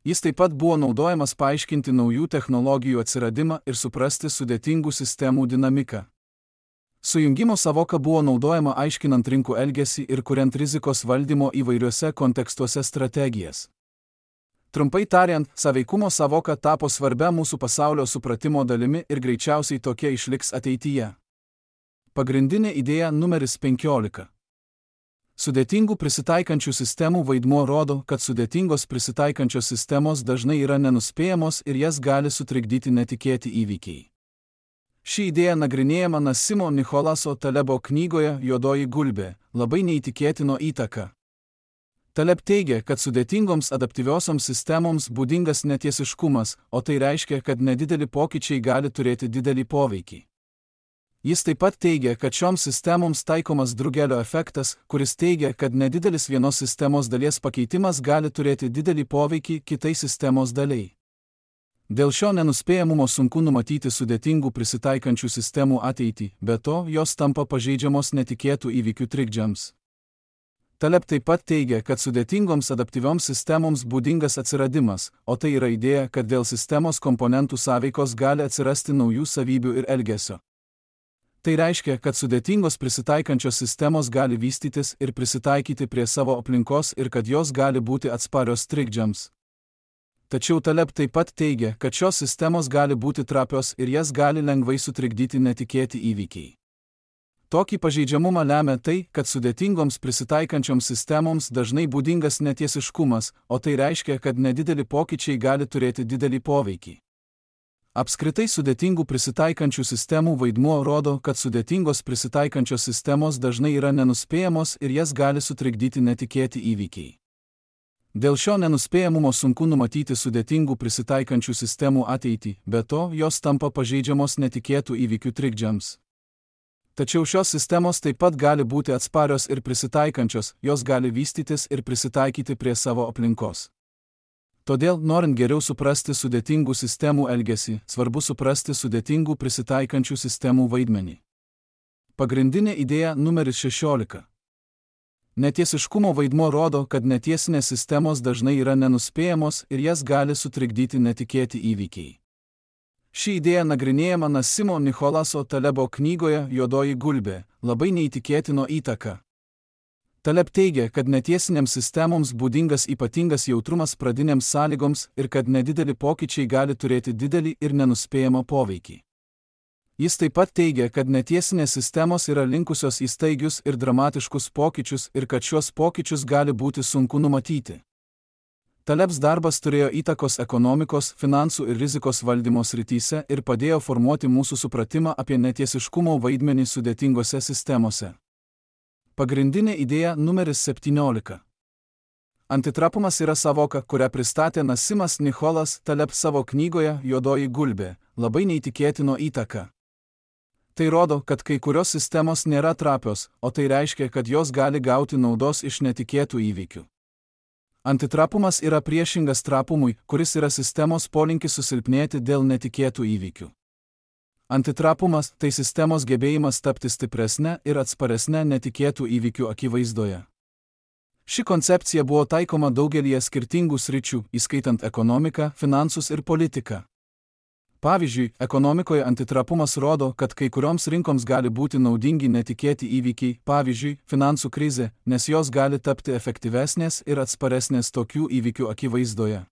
Jis taip pat buvo naudojamas paaiškinti naujų technologijų atsiradimą ir suprasti sudėtingų sistemų dinamiką. Sujungimo sąvoka buvo naudojama aiškinant rinkų elgesį ir kuriant rizikos valdymo įvairiuose kontekstuose strategijas. Trumpai tariant, sąveikumo sąvoka tapo svarbia mūsų pasaulio supratimo dalimi ir greičiausiai tokia išliks ateityje. Pagrindinė idėja numeris 15. Sudėtingų prisitaikančių sistemų vaidmuo rodo, kad sudėtingos prisitaikančios sistemos dažnai yra nenuspėjamos ir jas gali sutrikdyti netikėti įvykiai. Ši idėja nagrinėjama Nasimo Nicholaso Talebo knygoje Juodoji gulbė – labai neįtikėtino įtaka. Taleb teigia, kad sudėtingoms adaptyviosioms sistemoms būdingas netiesiškumas, o tai reiškia, kad nedideli pokyčiai gali turėti didelį poveikį. Jis taip pat teigia, kad šioms sistemoms taikomas drugelio efektas, kuris teigia, kad nedidelis vienos sistemos dalies pakeitimas gali turėti didelį poveikį kitai sistemos daliai. Dėl šio nenuspėjamumo sunku numatyti sudėtingų prisitaikančių sistemų ateitį, be to jos tampa pažeidžiamos netikėtų įvykių trikdžiams. Taleb taip pat teigia, kad sudėtingoms adaptyvioms sistemoms būdingas atsiradimas, o tai yra idėja, kad dėl sistemos komponentų sąveikos gali atsirasti naujų savybių ir elgesio. Tai reiškia, kad sudėtingos prisitaikančios sistemos gali vystytis ir prisitaikyti prie savo aplinkos ir kad jos gali būti atsparios trikdžiams. Tačiau Taleb taip pat teigia, kad šios sistemos gali būti trapios ir jas gali lengvai sutrikdyti netikėti įvykiai. Tokį pažeidžiamumą lemia tai, kad sudėtingoms prisitaikančioms sistemoms dažnai būdingas netiesiškumas, o tai reiškia, kad nedideli pokyčiai gali turėti didelį poveikį. Apskritai sudėtingų prisitaikančių sistemų vaidmuo rodo, kad sudėtingos prisitaikančios sistemos dažnai yra nenuspėjamos ir jas gali sutrikdyti netikėti įvykiai. Dėl šio nenuspėjamumo sunku numatyti sudėtingų prisitaikančių sistemų ateitį, be to jos tampa pažeidžiamos netikėtų įvykių trikdžiams. Tačiau šios sistemos taip pat gali būti atsparios ir prisitaikančios, jos gali vystytis ir prisitaikyti prie savo aplinkos. Todėl, norint geriau suprasti sudėtingų sistemų elgesį, svarbu suprasti sudėtingų prisitaikančių sistemų vaidmenį. Pagrindinė idėja numeris 16. Netiesiškumo vaidmuo rodo, kad netiesinės sistemos dažnai yra nenuspėjamos ir jas gali sutrikdyti netikėti įvykiai. Ši idėja nagrinėjama Nasimo Nicholaso Talebo knygoje Juodoji gulbė – labai neįtikėtino įtaka. Taleb teigia, kad netiesinėms sistemoms būdingas ypatingas jautrumas pradinėms sąlygoms ir kad nedideli pokyčiai gali turėti didelį ir nenuspėjamą poveikį. Jis taip pat teigia, kad netiesinės sistemos yra linkusios į staigius ir dramatiškus pokyčius ir kad šiuos pokyčius gali būti sunku numatyti. Talebs darbas turėjo įtakos ekonomikos, finansų ir rizikos valdymo srityse ir padėjo formuoti mūsų supratimą apie netiesiškumo vaidmenį sudėtingose sistemose. Pagrindinė idėja numeris 17. Antitrapumas yra sąvoka, kurią pristatė Nasimas Nicholas Taleb savo knygoje Juodoji gulbė – labai neįtikėtino įtaka. Tai rodo, kad kai kurios sistemos nėra trapios, o tai reiškia, kad jos gali gauti naudos iš netikėtų įvykių. Antitrapumas yra priešingas trapumui, kuris yra sistemos polinkis susilpnėti dėl netikėtų įvykių. Antitrapumas – tai sistemos gebėjimas tapti stipresne ir atsparesne netikėtų įvykių akivaizdoje. Ši koncepcija buvo taikoma daugelyje skirtingų sričių, įskaitant ekonomiką, finansus ir politiką. Pavyzdžiui, ekonomikoje antitrapumas rodo, kad kai kurioms rinkoms gali būti naudingi netikėti įvykiai, pavyzdžiui, finansų krizė, nes jos gali tapti efektyvesnės ir atsparesnės tokių įvykių akivaizdoje.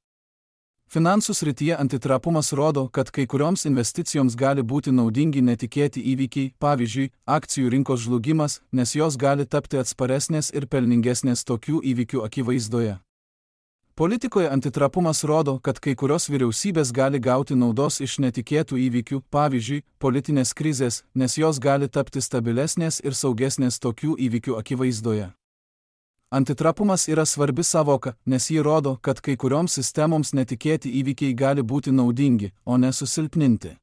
Finansų srityje antitrapumas rodo, kad kai kurioms investicijoms gali būti naudingi netikėti įvykiai, pavyzdžiui, akcijų rinkos žlugimas, nes jos gali tapti atsparesnės ir pelningesnės tokių įvykių akivaizdoje. Politikoje antitrapumas rodo, kad kai kurios vyriausybės gali gauti naudos iš netikėtų įvykių, pavyzdžiui, politinės krizės, nes jos gali tapti stabilesnės ir saugesnės tokių įvykių akivaizdoje. Antitrapumas yra svarbi savoka, nes ji rodo, kad kai kurioms sistemoms netikėti įvykiai gali būti naudingi, o ne susilpninti.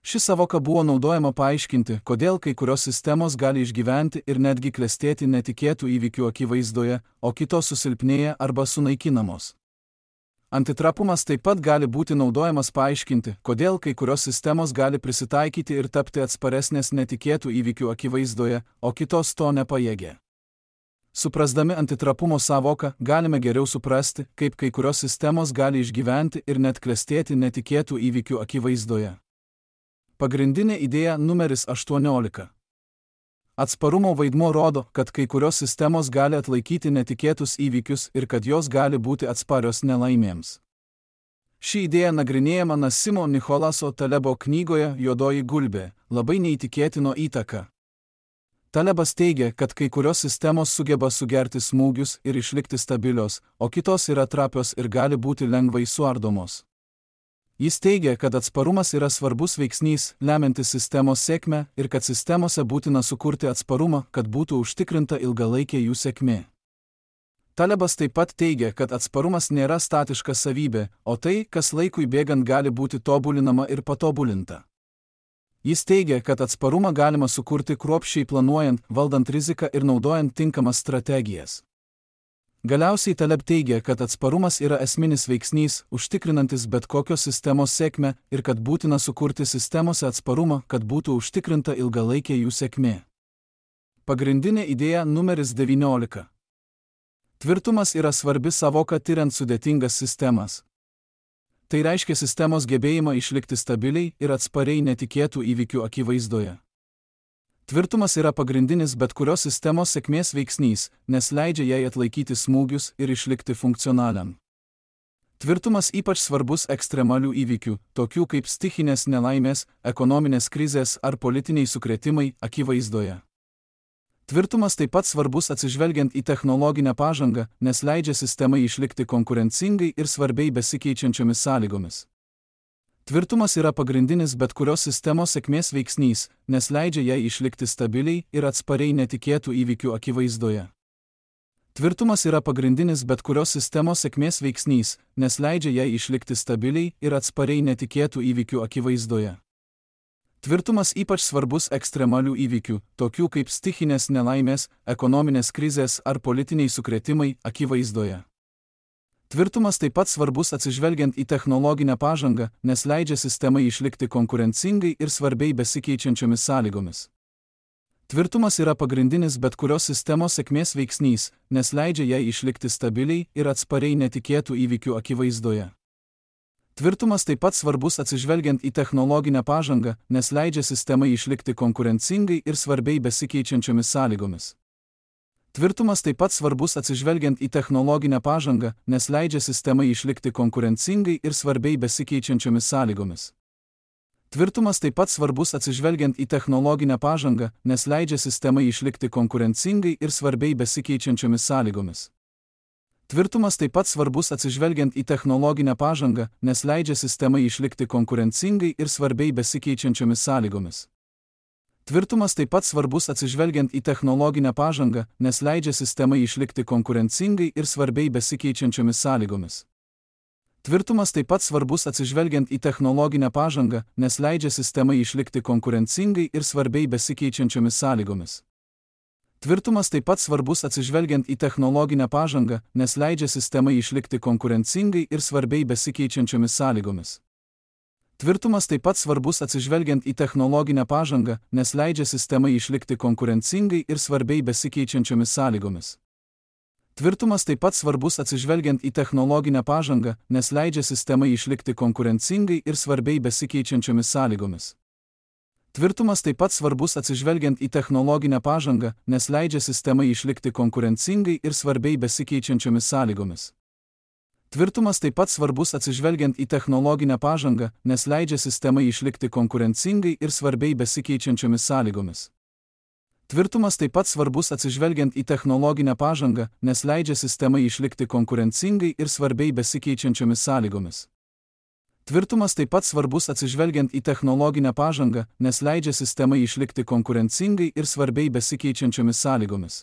Ši savoka buvo naudojama paaiškinti, kodėl kai kurios sistemos gali išgyventi ir netgi klestėti netikėtų įvykių akivaizdoje, o kitos susilpnėja arba sunaikinamos. Antitrapumas taip pat gali būti naudojamas paaiškinti, kodėl kai kurios sistemos gali prisitaikyti ir tapti atsparesnės netikėtų įvykių akivaizdoje, o kitos to nepajėgia. Suprasdami antitrapumo savoką, galime geriau suprasti, kaip kai kurios sistemos gali išgyventi ir net klestėti netikėtų įvykių akivaizdoje. Pagrindinė idėja numeris 18. Atsparumo vaidmuo rodo, kad kai kurios sistemos gali atlaikyti netikėtus įvykius ir kad jos gali būti atsparios nelaimėms. Ši idėja nagrinėjama Nasimo Nicholaso Talebo knygoje Juodoji gulbė – labai neįtikėtino įtaka. Talebas teigia, kad kai kurios sistemos sugeba sugerti smūgius ir išlikti stabilios, o kitos yra trapios ir gali būti lengvai suardomos. Jis teigia, kad atsparumas yra svarbus veiksnys, lemiantis sistemos sėkmę ir kad sistemose būtina sukurti atsparumą, kad būtų užtikrinta ilgalaikė jų sėkmė. Talebas taip pat teigia, kad atsparumas nėra statiška savybė, o tai, kas laikui bėgant gali būti tobulinama ir patobulinta. Jis teigia, kad atsparumą galima sukurti kruopščiai planuojant, valdant riziką ir naudojant tinkamas strategijas. Galiausiai Taleb teigia, kad atsparumas yra esminis veiksnys, užtikrinantis bet kokios sistemos sėkmę ir kad būtina sukurti sistemose atsparumą, kad būtų užtikrinta ilgalaikė jų sėkmė. Pagrindinė idėja numeris 19. Tvirtumas yra svarbi savoka tiriant sudėtingas sistemas. Tai reiškia sistemos gebėjimą išlikti stabiliai ir atspariai netikėtų įvykių akivaizdoje. Tvirtumas yra pagrindinis bet kurios sistemos sėkmės veiksnys, nes leidžia jai atlaikyti smūgius ir išlikti funkcionaliam. Tvirtumas ypač svarbus ekstremalių įvykių, tokių kaip stichinės nelaimės, ekonominės krizės ar politiniai sukrėtimai akivaizdoje. Tvirtumas taip pat svarbus atsižvelgiant į technologinę pažangą, nes leidžia sistemai išlikti konkurencingai ir svarbiai besikeičiančiomis sąlygomis. Tvirtumas yra pagrindinis bet kurios sistemos sėkmės veiksnys, nes leidžia jai išlikti stabiliai ir atspariai netikėtų įvykių akivaizdoje. Tvirtumas yra pagrindinis bet kurios sistemos sėkmės veiksnys, nes leidžia jai išlikti stabiliai ir atspariai netikėtų įvykių akivaizdoje. Tvirtumas ypač svarbus ekstremalių įvykių, tokių kaip stichinės nelaimės, ekonominės krizės ar politiniai sukrėtimai akivaizdoje. Tvirtumas taip pat svarbus atsižvelgiant į technologinę pažangą, nes leidžia sistemai išlikti konkurencingai ir svarbiai besikeičiančiomis sąlygomis. Tvirtumas yra pagrindinis bet kurios sistemos sėkmės veiksnys, nes leidžia jai išlikti stabiliai ir atspariai netikėtų įvykių akivaizdoje. Tvirtumas taip pat svarbus atsižvelgiant į technologinę pažangą, nes leidžia sistemai išlikti konkurencingai ir svarbiai besikeičiančiomis sąlygomis. Tvirtumas taip pat svarbus atsižvelgiant į technologinę pažangą, nes leidžia sistemai išlikti konkurencingai ir svarbiai besikeičiančiomis sąlygomis. Tvirtumas taip pat svarbus atsižvelgiant į technologinę pažangą, nes leidžia sistemai išlikti konkurencingai ir svarbiai besikeičiančiomis sąlygomis. Tvirtumas taip pat svarbus atsižvelgiant į technologinę pažangą, nes leidžia sistemai išlikti konkurencingai ir svarbiai besikeičiančiomis sąlygomis. Tvirtumas taip pat svarbus atsižvelgiant į technologinę pažangą, nes leidžia sistemai išlikti konkurencingai ir svarbiai besikeičiančiomis sąlygomis. Tvirtumas taip pat svarbus atsižvelgiant į technologinę pažangą, nes leidžia sistemai išlikti konkurencingai ir svarbiai besikeičiančiomis sąlygomis. Tvirtumas taip pat svarbus atsižvelgiant į technologinę pažangą, nes leidžia sistemai išlikti konkurencingai ir svarbiai besikeičiančiomis sąlygomis. Tvirtumas taip pat svarbus atsižvelgiant į technologinę pažangą, nes leidžia sistemai išlikti konkurencingai ir svarbiai besikeičiančiomis sąlygomis. Tvirtumas taip pat svarbus atsižvelgiant į technologinę pažangą, nes leidžia sistemai išlikti konkurencingai ir svarbiai besikeičiančiomis sąlygomis. Tvirtumas taip pat svarbus atsižvelgiant į technologinę pažangą, nes leidžia sistemai išlikti konkurencingai ir svarbiai besikeičiančiomis sąlygomis. Tvirtumas taip pat svarbus atsižvelgiant į technologinę pažangą, nes leidžia sistemai išlikti konkurencingai ir svarbiai besikeičiančiomis sąlygomis. Tvirtumas taip pat svarbus atsižvelgiant į technologinę pažangą, nes leidžia sistemai išlikti konkurencingai ir svarbiai besikeičiančiomis sąlygomis. Tvirtumas taip pat svarbus atsižvelgiant į technologinę pažangą, nes leidžia sistemai išlikti konkurencingai ir svarbiai besikeičiančiomis sąlygomis.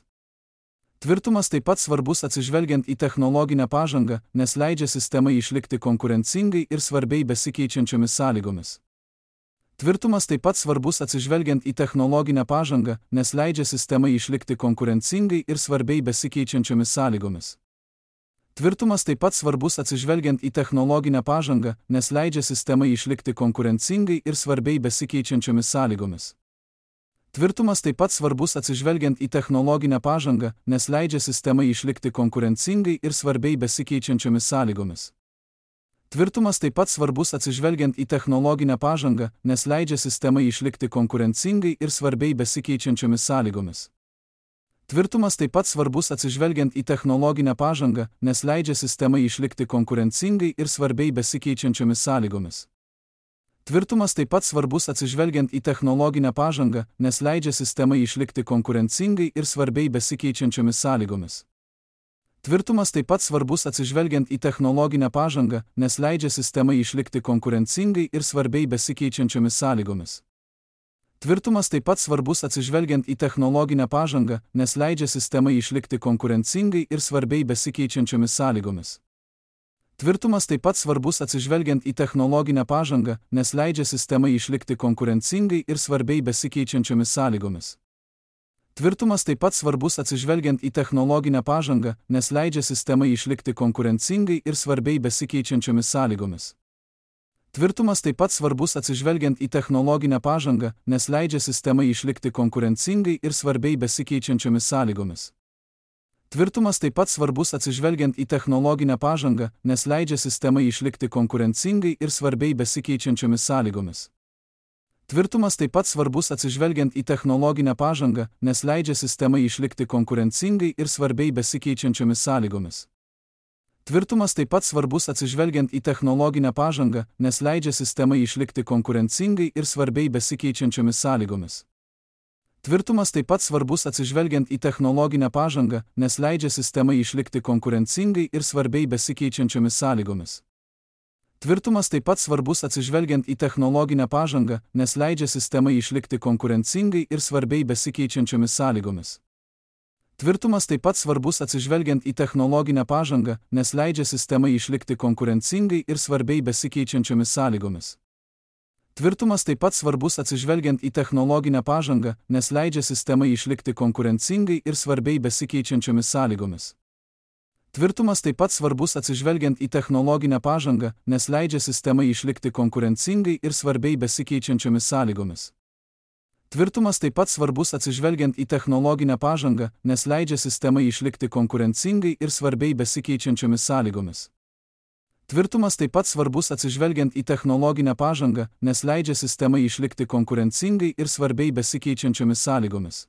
Tvirtumas taip pat svarbus atsižvelgiant į technologinę pažangą, nes leidžia sistemai išlikti konkurencingai ir svarbiai besikeičiančiomis sąlygomis. Tvirtumas taip pat svarbus atsižvelgiant į technologinę pažangą, nes leidžia sistemai išlikti konkurencingai ir svarbiai besikeičiančiomis sąlygomis. Tvirtumas taip pat svarbus atsižvelgiant į technologinę pažangą, nes leidžia sistemai išlikti konkurencingai ir svarbiai besikeičiančiomis sąlygomis. Tvirtumas taip pat svarbus atsižvelgiant į technologinę pažangą, nes leidžia sistemai išlikti konkurencingai ir svarbiai besikeičiančiomis sąlygomis. Tvirtumas taip pat svarbus atsižvelgiant į technologinę pažangą, nes leidžia sistemai išlikti konkurencingai ir svarbiai besikeičiančiomis sąlygomis. Tvirtumas taip pat svarbus atsižvelgiant į technologinę pažangą, nes leidžia sistemai išlikti konkurencingai ir svarbiai besikeičiančiomis sąlygomis. Tvirtumas taip pat svarbus atsižvelgiant į technologinę pažangą, nes leidžia sistemai išlikti konkurencingai ir svarbiai besikeičiančiomis sąlygomis. Tvirtumas taip pat svarbus atsižvelgiant į technologinę pažangą, nes leidžia sistemai išlikti konkurencingai ir svarbiai besikeičiančiomis sąlygomis. Tvirtumas taip pat svarbus atsižvelgiant į technologinę pažangą, nes leidžia sistemai išlikti konkurencingai ir svarbiai besikeičiančiomis sąlygomis. Tvirtumas taip pat svarbus atsižvelgiant į technologinę pažangą, nes leidžia sistemai išlikti konkurencingai ir svarbiai besikeičiančiomis sąlygomis. Tvirtumas taip pat svarbus atsižvelgiant į technologinę pažangą, nes leidžia sistemai išlikti konkurencingai ir svarbiai besikeičiančiomis sąlygomis. Tvirtumas taip pat svarbus atsižvelgiant į technologinę pažangą, nes leidžia sistemai išlikti konkurencingai ir svarbiai besikeičiančiomis sąlygomis. Tvirtumas taip pat svarbus atsižvelgiant į technologinę pažangą, nes leidžia sistemai išlikti konkurencingai ir svarbiai besikeičiančiomis sąlygomis. Tvirtumas taip pat svarbus atsižvelgiant į technologinę pažangą, nes leidžia sistemai išlikti konkurencingai ir svarbiai besikeičiančiomis sąlygomis. Tvirtumas taip pat svarbus atsižvelgiant į technologinę pažangą, nes leidžia sistemai išlikti konkurencingai ir svarbiai besikeičiančiomis sąlygomis. Tvirtumas taip pat svarbus atsižvelgiant į technologinę pažangą, nes leidžia sistemai išlikti konkurencingai ir svarbiai besikeičiančiomis sąlygomis. Tvirtumas taip pat svarbus atsižvelgiant į technologinę pažangą, nes leidžia sistemai išlikti konkurencingai ir svarbiai besikeičiančiomis sąlygomis. Tvirtumas taip pat svarbus atsižvelgiant į technologinę pažangą, nes leidžia sistemai išlikti konkurencingai ir svarbiai besikeičiančiomis sąlygomis. Tvirtumas taip pat svarbus atsižvelgiant į technologinę pažangą, nes leidžia sistemai išlikti konkurencingai ir svarbiai besikeičiančiomis sąlygomis. Tvirtumas taip pat svarbus atsižvelgiant į technologinę pažangą, nes leidžia sistemai išlikti konkurencingai ir svarbiai besikeičiančiomis sąlygomis. Tvirtumas taip pat svarbus atsižvelgiant į technologinę pažangą, nes leidžia sistemai išlikti konkurencingai ir svarbiai besikeičiančiomis sąlygomis. Tvirtumas taip pat svarbus atsižvelgiant į technologinę pažangą, nes leidžia sistemai išlikti konkurencingai ir svarbiai besikeičiančiomis sąlygomis.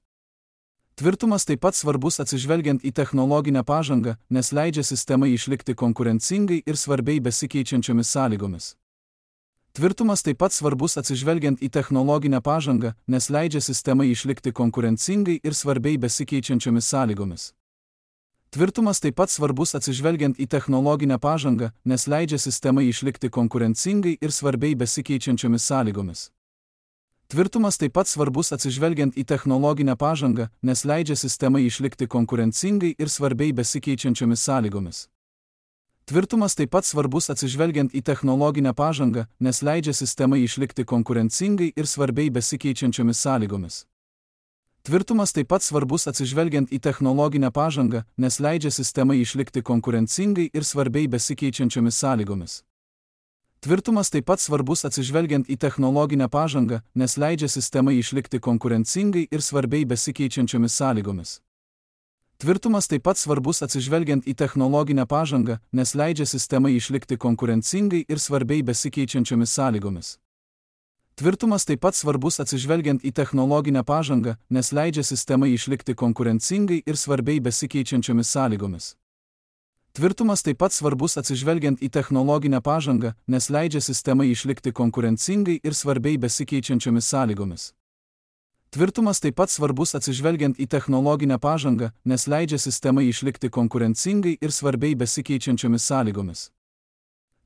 Tvirtumas taip pat svarbus atsižvelgiant į technologinę pažangą, nes leidžia sistemai išlikti konkurencingai ir svarbiai besikeičiančiomis sąlygomis. Tvirtumas taip pat svarbus atsižvelgiant į technologinę pažangą, nes leidžia sistemai išlikti konkurencingai ir svarbiai besikeičiančiomis sąlygomis. Tvirtumas taip pat svarbus atsižvelgiant į technologinę pažangą, nes leidžia sistemai išlikti konkurencingai ir svarbiai besikeičiančiomis sąlygomis. Tvirtumas taip pat svarbus atsižvelgiant į technologinę pažangą, nes leidžia sistemai išlikti konkurencingai ir svarbiai besikeičiančiomis sąlygomis. Tvirtumas taip pat svarbus atsižvelgiant į technologinę pažangą, nes leidžia sistemai išlikti konkurencingai ir svarbiai besikeičiančiomis sąlygomis. Tvirtumas taip pat svarbus atsižvelgiant į technologinę pažangą, nes leidžia sistemai išlikti konkurencingai ir svarbiai besikeičiančiomis sąlygomis. Tvirtumas taip pat svarbus atsižvelgiant į technologinę pažangą, nes leidžia sistemai išlikti konkurencingai ir svarbiai besikeičiančiomis sąlygomis. Tvirtumas taip pat svarbus atsižvelgiant į technologinę pažangą, nes leidžia sistemai išlikti konkurencingai ir svarbiai besikeičiančiomis sąlygomis. Tvirtumas taip pat svarbus atsižvelgiant į technologinę pažangą, nes leidžia sistemai išlikti konkurencingai ir svarbiai besikeičiančiomis sąlygomis. Tvirtumas taip pat svarbus atsižvelgiant į technologinę pažangą, nes leidžia sistemai išlikti konkurencingai ir svarbiai besikeičiančiomis sąlygomis. Tvirtumas taip pat svarbus atsižvelgiant į technologinę pažangą, nes leidžia sistemai išlikti konkurencingai ir svarbiai besikeičiančiomis sąlygomis.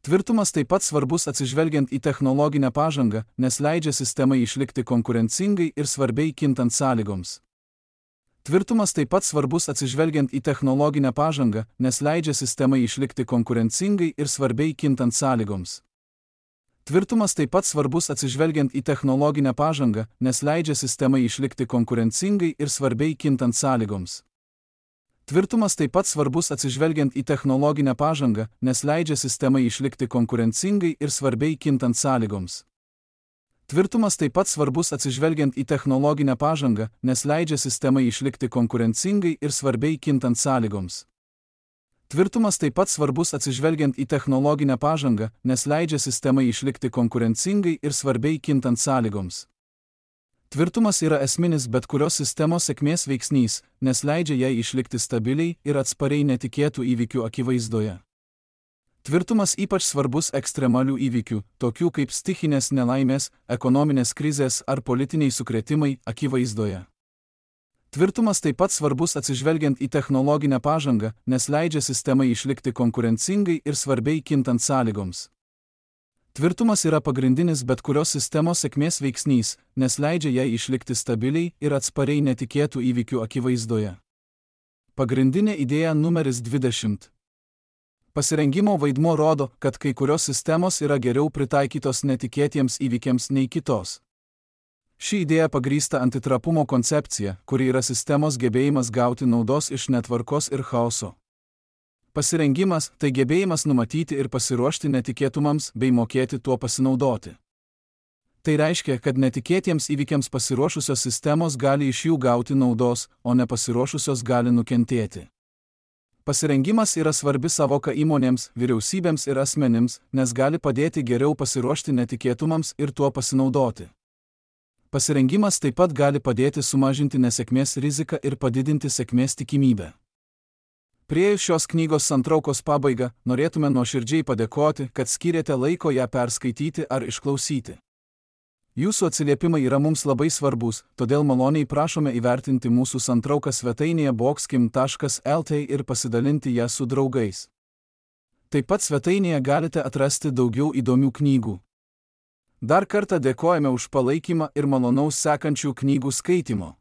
Tvirtumas taip pat svarbus atsižvelgiant į technologinę pažangą, nes leidžia sistemai išlikti konkurencingai ir svarbiai kintant sąlygoms. Tvirtumas taip pat svarbus atsižvelgiant į technologinę pažangą, nes leidžia sistemai išlikti konkurencingai ir svarbiai kintant sąlygoms. Tvirtumas taip pat svarbus atsižvelgiant į technologinę pažangą, nes leidžia sistemai išlikti konkurencingai ir svarbiai kintant sąlygoms. Tvirtumas taip pat svarbus atsižvelgiant į technologinę pažangą, nes leidžia sistemai išlikti konkurencingai ir svarbiai kintant sąlygoms. Tvirtumas taip pat svarbus atsižvelgiant į technologinę pažangą, nes leidžia sistemai išlikti konkurencingai ir svarbiai kintant sąlygoms. Tvirtumas taip pat svarbus atsižvelgiant į technologinę pažangą, nes leidžia sistemai išlikti konkurencingai ir svarbiai kintant sąlygoms. Tvirtumas yra esminis bet kurios sistemos sėkmės veiksnys, nes leidžia jai išlikti stabiliai ir atspariai netikėtų įvykių akivaizdoje. Tvirtumas ypač svarbus ekstremalių įvykių, tokių kaip stichinės nelaimės, ekonominės krizės ar politiniai sukrėtimai, akivaizdoje. Tvirtumas taip pat svarbus atsižvelgiant į technologinę pažangą, nes leidžia sistemai išlikti konkurencingai ir svarbiai kintant sąlygoms. Tvirtumas yra pagrindinis bet kurios sistemos sėkmės veiksnys, nes leidžia jai išlikti stabiliai ir atspariai netikėtų įvykių akivaizdoje. Pagrindinė idėja numeris 20. Pasirengimo vaidmuo rodo, kad kai kurios sistemos yra geriau pritaikytos netikėtiems įvykiams nei kitos. Ši idėja pagrįsta antitrapumo koncepcija, kuri yra sistemos gebėjimas gauti naudos iš netvarkos ir chaoso. Pasirengimas – tai gebėjimas numatyti ir pasiruošti netikėtumams bei mokėti tuo pasinaudoti. Tai reiškia, kad netikėtiems įvykiams pasiruošusios sistemos gali iš jų gauti naudos, o nepasiruošusios gali nukentėti. Pasirengimas yra svarbi savoka įmonėms, vyriausybėms ir asmenims, nes gali padėti geriau pasiruošti netikėtumams ir tuo pasinaudoti. Pasirengimas taip pat gali padėti sumažinti nesėkmės riziką ir padidinti sėkmės tikimybę. Priėjus šios knygos santraukos pabaigą, norėtume nuoširdžiai padėkoti, kad skyrėte laiko ją perskaityti ar išklausyti. Jūsų atsiliepimai yra mums labai svarbus, todėl maloniai prašome įvertinti mūsų santrauką svetainėje boxkim.lt ir pasidalinti ją su draugais. Taip pat svetainėje galite atrasti daugiau įdomių knygų. Dar kartą dėkojame už palaikymą ir malonaus sekančių knygų skaitymo.